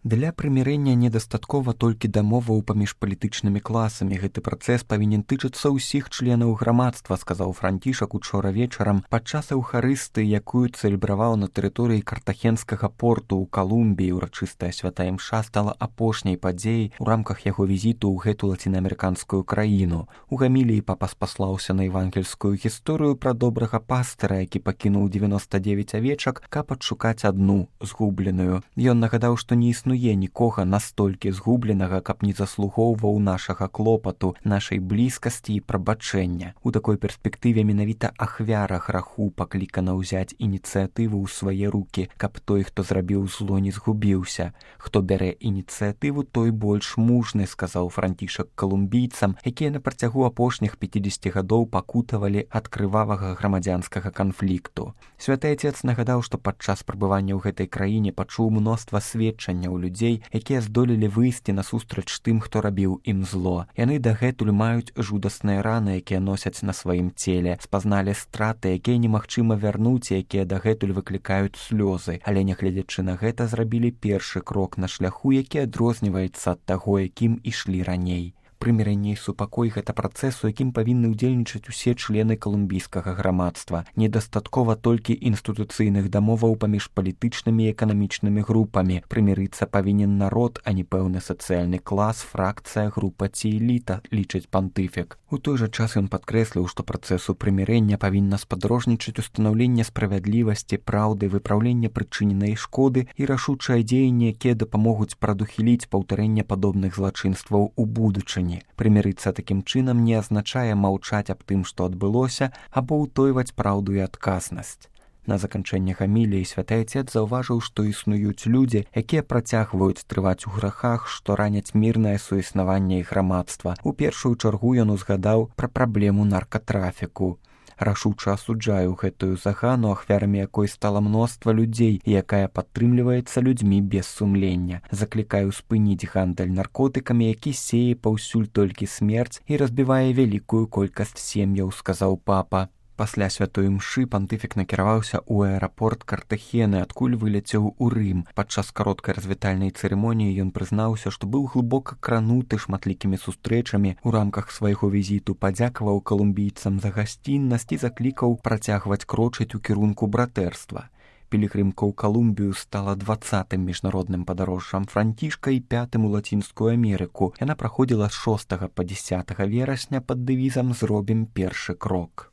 Для прымірэння недастаткова толькі дамоваў паміж палітычнымі класамі. Гэты працэс павінен тычыцца ўсіх членаў грамадства, сказаў Францішак учора вечарам падчас эўхарысты, якую цэлебраваў на тэрыторыі картахенскага порту ў Калумбіі. Урачыстая святая імша стала апошняй падзеяй у рамках яго візіту ў гэту лацінаамерыканскую краіну. У гаміліі папа спаслаўся на евангельскую гісторыю пра добрага пастыра, які пакінуў 99 авечак, каб адшукаць адну згубленую. Ён нагадаў, што не існуе нікога настолькі згубленага, каб не заслугоўваў нашага клопату, нашай блізкасці і прабачэння. У такой перспектыве менавіта ахвяра граху паклікана ўзяць ініцыятыву ў свае рукі, каб той, хто зрабіў зло, не згубіўся. Хто бярэ ініцыятыву, той больш мужны, сказаў Францішак калумбійцам, якія на працягу апошніх 50 гадоў пакутавалі ад крывавага грамадзянскага канфлікту. Святы Отец нагадаў, што падчас прабывання ў гэтай краіне пачуў мноства сведчанняў людзей, якія здолелі выйсці насустрач тым, хто рабіў ім зло. Яны дагэтуль маюць жудасныя раны, якія носяць на сваім целе, спазналі страты, якія немагчыма вярнуць, якія дагэтуль выклікаюць слёзы, але нягледзячы на гэта зрабілі першы крок на шляху, які адрозніваецца ад таго, якім ішлі раней. Прымірэнне і супакой – гэта працэс, у якім павінны ўдзельнічаць усе члены калумбійскага грамадства. Недастаткова толькі інстытуцыйных дамоваў паміж палітычнымі і эканамічнымі групамі. Прымірыцца павінен народ, а не пэўны сацыяльны клас, фракцыя, група ці эліта, лічыць пантыфік. У той жа час ён падкрэсліў, што працэсу прымірэння павінна спадарожнічаць устанаўленне справядлівасці, праўды, выпраўленне прычыненай шкоды і рашучае дзеянне, якія дапамогуць прадухіліць паўтарэнне падобных злачынстваў у будучыні. Прымірыцца такім чынам не азначае маўчаць аб тым, што адбылося, або ўтойваць праўду і адказнасць. На заканчэнне гаміліі святы Отец заўважыў, што існуюць людзі, якія працягваюць трываць у грахах, што раняць мірнае суіснаванне і грамадства. У першую чаргу ён узгадаў пра праблему наркатрафіку. Рашуча асуджаю гэтую загану, ахвярамі якой стала мноства людзей, якая падтрымліваецца людзьмі без сумлення. Заклікаю спыніць гандаль наркотыкамі, які сее паўсюль толькі смерць і разбівае вялікую колькасць сем'яў, сказаў папа. Пасля святой імшы пантыфік накіраваўся ў аэрапорт Картахены, адкуль выляцеў у Рым. Падчас кароткай развітальнай цырымоніі ён прызнаўся, што быў глыбока крануты шматлікімі сустрэчамі у рамках свайго візіту, падзякаваў калумбійцам за гасціннасць і заклікаў працягваць крочыць у кірунку братэрства. Пілігрымка ў Калумбію стала 20-м міжнародным падарожжам Францішка і 5-м у Лацінскую Амерыку. Яна праходзіла з 6 па 10 верасня пад дэвізам «Зробім першы крок».